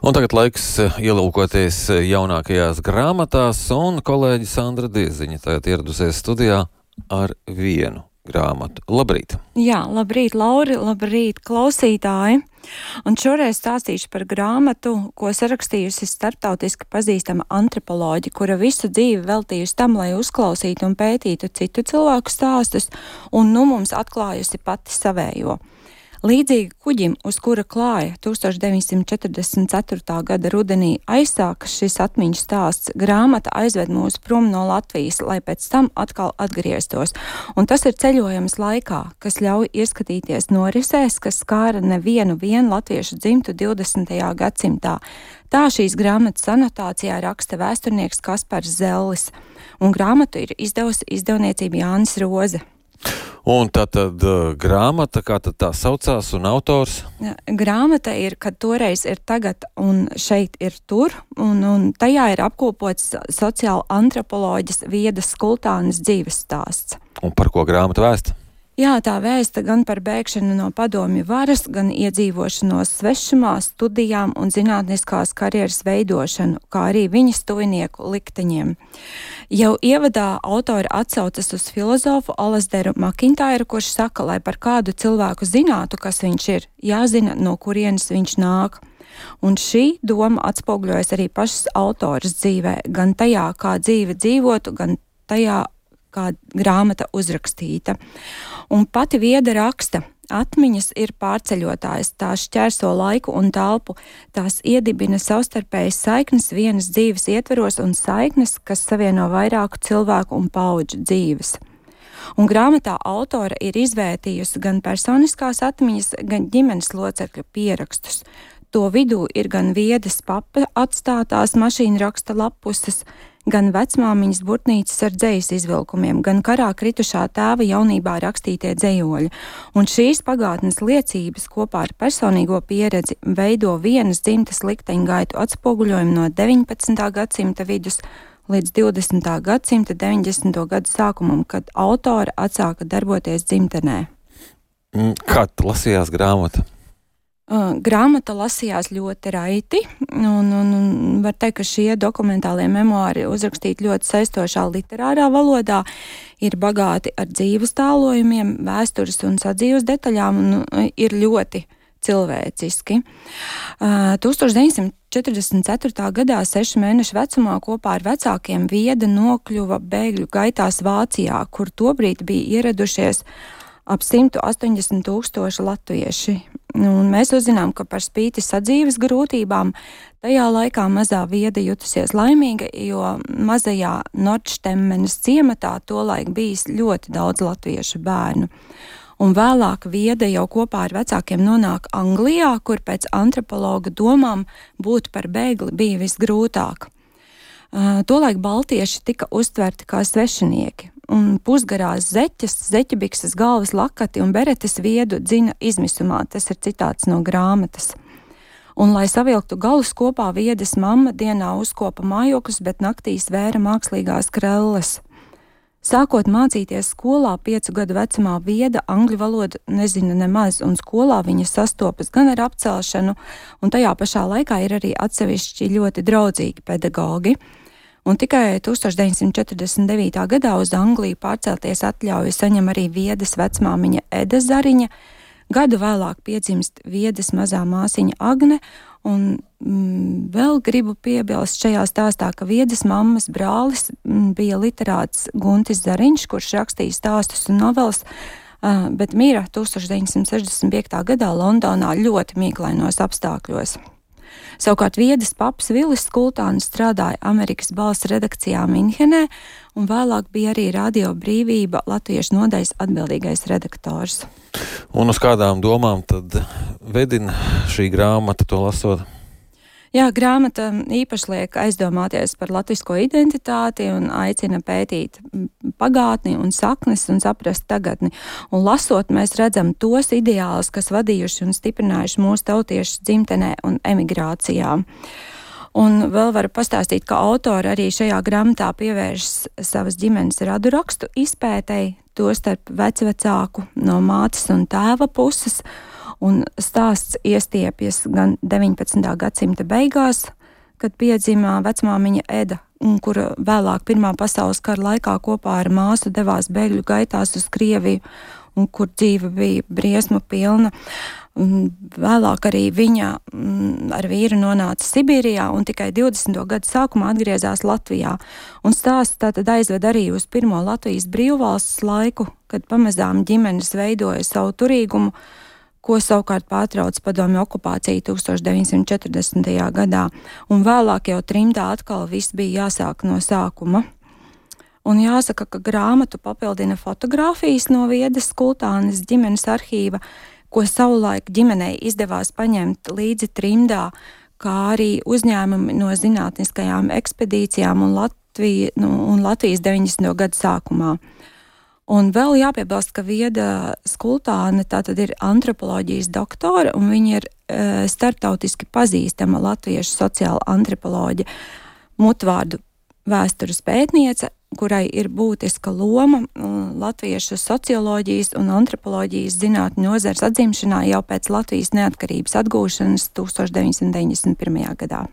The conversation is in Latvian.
Un tagad laiks ielūkoties jaunākajās grāmatās, un kolēģi Sandra Dieziņa tagad ieradusies studijā ar vienu grāmatu. Labrīt! Jā, labrīt, Lauri, labrīt, klausītāji! Un šoreiz stāstīšu par grāmatu, ko sarakstījusi starptautiski pazīstama antropoloģe, kura visu dzīvi veltījusi tam, lai uzklausītu un pētītu citu cilvēku stāstus, un nu mums atklājusi pati savējo. Līdzīgi kuģim, uz kura klāja 1944. gada rudenī aizsākas šis atmiņu stāsts, grāmata aizved mūs prom no Latvijas, lai pēc tam atkal atgrieztos. Un tas ir ceļojums laikā, kas ļauj ieskatīties norisēs, kas skāra nevienu latviešu dzimtu 20. gadsimtā. Tā šīs grāmatas anotācijā raksta vēsturnieks Kaspars Zellis, un grāmatu ir izdevusi izdevniecība Jānis Roze. Un tātad grāmata, kā tad tā saucās, un autors? Grāmata ir, kad toreiz ir tagad un šeit ir tur, un tajā ir apkopots sociāla antropoloģis Viedas Skultānes dzīves stāsts. Un par ko grāmata vēsta? Jā, tā vēsta gan par bēgšanu no padomju varas, gan iedzīvošanos svešumā, studijām un zinātniskās karjeras veidošanu, kā arī viņas tuvinieku likteņiem. Jau ievadā autori atsaucas uz filozofu Alasdaru Makintāju, kurš saka, lai par kādu cilvēku zinātu, kas viņš ir, jāzina, no kurienes viņš nāk. Un šī doma atspoguļojas arī pašas autoras dzīvē, gan tajā, kā dzīve dzīvotu, gan tajā, kā grāmata uzrakstīta. Un pati Vieda raksta, atmiņas ir pārceļotājs, tās šķērso laiku un telpu, tās iedibina savstarpējas saiknes vienas dzīves ietveros un saiknes, kas savieno vairāku cilvēku un paudžu dzīves. Un grāmatā autora ir izvērtījusi gan personiskās atmiņas, gan ģimenes locekļu pierakstus. To vidū ir gan Viedas papa atstātās mašīna raksta lapuses, gan vecmāmiņas burtnīcas ar dzejas izvilkumiem, gan karā kritušā tēva jaunībā rakstītie dzejoļi. Un šīs pagātnes liecības kopā ar personīgo pieredzi veido vienas dzimtas likteņgaitu atspoguļojumu no 19. gadsimta vidus līdz 20. gadsimta 90. gadu sākumam, kad autora atsāka darboties dzimtenē. Kā lasījās grāmata? Grāmata lasījās ļoti raiti, un var teikt, ka šie dokumentālie memoāri uzrakstīti ļoti saistošā literārā valodā, ir bagāti ar dzīves tālojumiem, vēstures un sadzīves detaļām, un ir ļoti cilvēciski. 1944. gadā 6 mēnešu vecumā kopā ar vecākiem Vieda nokļuva bēgļu gaitās Vācijā, kur tobrīd bija ieradušies ap 180 000 latvieši. Un mēs uzzinām, ka par spīti sadzīves grūtībām tajā laikā mazā Vieda jutusies laimīga, jo mazajā Nordštemmenes ciematā tolaik bijis ļoti daudz latviešu bērnu. Un vēlāk Vieda jau kopā ar vecākiem nonāk Anglijā, kur pēc antropologa domām būt par bēgli bija visgrūtāk. Tolaik baltieši tika uztverti kā svešinieki, un pusgarās zeķes, zeķebikses, galvas lakati un beretes Viedu dzina izmisumā. Tas ir citāts no grāmatas. Un, lai savilktu galus kopā, Viedas mamma dienā uzkopa mājokļus, bet naktīs vēra mākslīgās krelles. Sākot mācīties skolā 5 gadu vecumā, Vieda angļu valodu nezina nemaz, un skolā viņa sastopas gan ar apcelšanu, un tajā pašā laikā ir arī atsevišķi ļoti draudzīgi pedagogi. Un tikai 1949. gadā uz Angliju pārcelties atļauju saņem arī Viedas vecmāmiņa Eda Zariņa. Gadu vēlāk piedzimst Viedas mazā māsiņa Agne, un vēl gribu piebilst šajā stāstā, ka Viedas mammas brālis bija literāts Guntis Zariņš, kurš rakstīja stāstus un novelas, bet mira 1965. gadā Londonā ļoti mīklainos apstākļos. Savukārt Viedas paps Vilis Skultānis strādāja Amerikas Balss redakcijā Minhenē, un vēlāk bija arī Radio Brīvība latviešu nodaļas atbildīgais redaktors. Un uz kādām domām tad vedina šī grāmata, to lasot? Jā, grāmata īpaši liek aizdomāties par latvisko identitāti un aicina pētīt pagātni un saknes un saprast tagadni. Un lasot, mēs redzam tos ideālus, kas vadījuši un stiprinājuši mūsu tautiešu dzimtenē un emigrācijā. Un vēl varu pastāstīt, ka autori arī šajā grāmatā pievēršas savas ģimenes radu rakstu izpētei, tostarp vecvecāku no mātes un tēva puses. Un stāsts iestiepjas gan 19. gadsimta beigās, kad piedzima vecmāmiņa Eda, kura vēlāk Pirmā pasaules kara laikā kopā ar māsu devās bēgļu gaitās uz Krieviju, un kur dzīve bija briesmu pilna. Vēlāk arī viņa ar vīru nonāca Sibīrijā un tikai 20. gadu sākumā atgriezās Latvijā. Un stāsts tātad aizved arī uz pirmo Latvijas brīvvalsts laiku, kad pamazām ģimenes veidoja savu turīgumu, ko savukārt pārtrauc padomju okupācija 1940. gadā. Un vēlāk jau trimdā atkal viss bija jāsāk no sākuma. Un jāsaka, ka grāmatu papildina fotogrāfijas no Viedas Kultānes ģimenes arhīva, ko savulaik ģimenei izdevās paņemt līdzi trimdā, kā arī uzņēmumi no zinātniskajām ekspedīcijām un Latvijas 90. gadu sākumā. Un vēl jāpiebilst, ka Vieda Kultāne tātad ir antropoloģijas doktore, un viņa ir starptautiski pazīstama latviešu sociāla antropoloģe, mutvārdu vēstures pētniece, kurai ir būtiska loma latviešu socioloģijas un antropoloģijas zinātņu nozares atzimšanā jau pēc Latvijas neatkarības atgūšanas 1991. gadā.